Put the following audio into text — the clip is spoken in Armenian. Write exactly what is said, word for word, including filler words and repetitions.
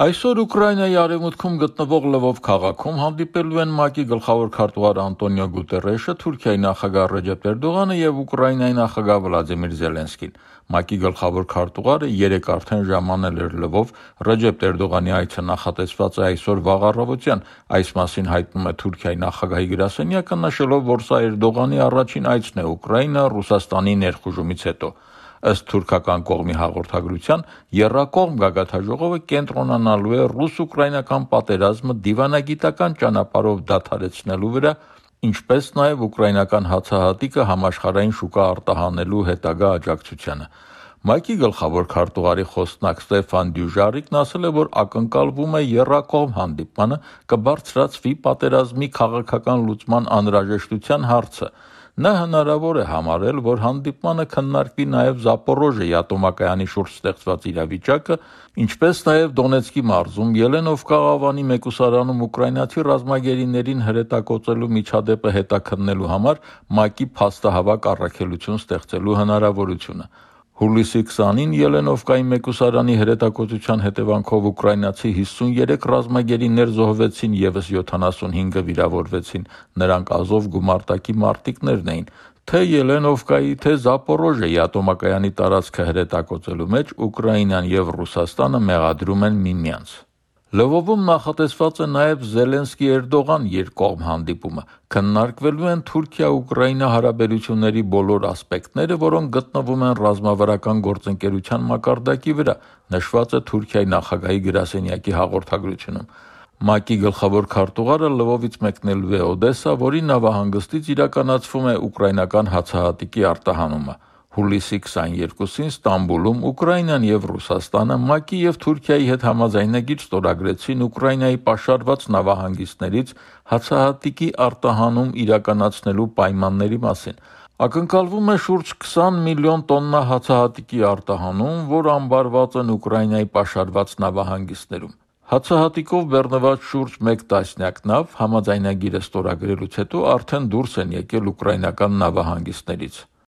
Այսօր Ուկրաինայի արևմուտքում գտնվող Լվով քաղաքում հանդիպելու են ՄԱԿ-ի գլխավոր քարտուղար Անտոնիո Գուտերեշը, Թուրքիայի նախագահ Ռեջեփ Էրդողանը և Ուկրաինայի նախագահ Վլադիմիր Զելենսկին։ ՄԱԿ-ի գլխավոր քարտուղարը երեկ արդեն ժամանել էր Լվով, Ռեջեփ Էրդողանի այցը նախատեսված է այսօր վաղ առավոտյան, այս մասին հայտնում է Թուրքիայի նախագահի գրասենյակը, նշելով, որ սա Էրդողանի առաջին այցն է Ուկրաինա Ռուսաստանի ներխուժումից հետո։ Ըստ թուրքական կողմի հաղորդագրության, եռակողմ գագաթնաժողովը կենտրոնանալու է ռուս-ուկրաինական պատերազմը դիվանագիտական ճանապարհով դադարեցնելու վրա, ինչպես նաև ուկրաինական հացահատիկը համաշխարհային շուկա արտահանելու հետագա աջակցությանը։ ՄԱԿ-ի գլխավոր քարտուղարի խոսնակ Ստեֆան Դյուժարիկն ասել է, որ ակնկալվում է եռակողմ հանդիպմանը կբարձրացվի պատերազմի քաղաքական լուծման անհրաժեշտության հարցը։ Նա հնարավոր է համարել, որ հանդիպմանը քննարկվի նաև Զապորոժիեի ատոմակայանի շուրջ ստեղծված իրավիճակը, ինչպես նաև Դոնեցկի մարզում Ելենովկա ավանի մեկուսարանում ուկրաինացի ռազմագերիներին հրետակոծելու միջադեպը հետաքննելու համար ՄԱԿ-ի փաստահավաք առաքելություն ստեղծելու հնարավորությունը։ Հուլիսի քսանին Ելենովկայի մեկուսարանի հրետակոծության հետևանքով ուկրաինացի հիսունյուրեք ռազմագերիներ զոհվեցին, ևս յոթանասունհինգը վիրավորվեցին, նրանք ազով գումարտակի մարտիկներն էին։ Թե Ելենովկայի, թե Զապորոժիեի ատոմակայանի տարածքը հրետակոծելու մեջ Ուկրաինան և Ռուսաստանը մեղադրում են միմյանց։ Լվովում նախատեսված է նաև Զելենսկի-Էրդողան երկկողմ հանդիպումը։ Քննարկվելու են Թուրքիա-Ուկրաինա հարաբերությունների բոլոր ասպեկտները, որոնք գտնվում են ռազմավարական գործընկերության մակարդակի վրա, նշված է Թուրքիայի նախագահի գրասենյակի հաղորդագրությունում։ ՄԱԿ-ի գլխավոր քարտուղարը Լվովից մեկնելու է Օդեսա, որի նավահանգստից իրականացվում է ուկրաինական հացահատիկի արտահանումը։ Հուլիսի քսաներկուսին Ստամբուլում Ուկրաինան և Ռուսաստանը ՄԱԿ-ի և Թուրքիայի հետ համաձայնագիր ստորագրեցին Ուկրաինայի պաշարված նավահանգիստներից հացահատիկի արտահանում իրականացնելու պայմանների մասին։ Ակնկալվում է շուրջ քսան միլիոն տոննա հացահատիկի արտահանում, որ ամբարված են Ուկրաինայի պաշարված նավահանգիստներում։ Հացահատիկով բեռնված շուրջ մեկ տասնյակ նավ համաձայնագիրը ստորագրելուց հետո արդեն դուրս են եկել ուկրաինական նավահանգիստներից։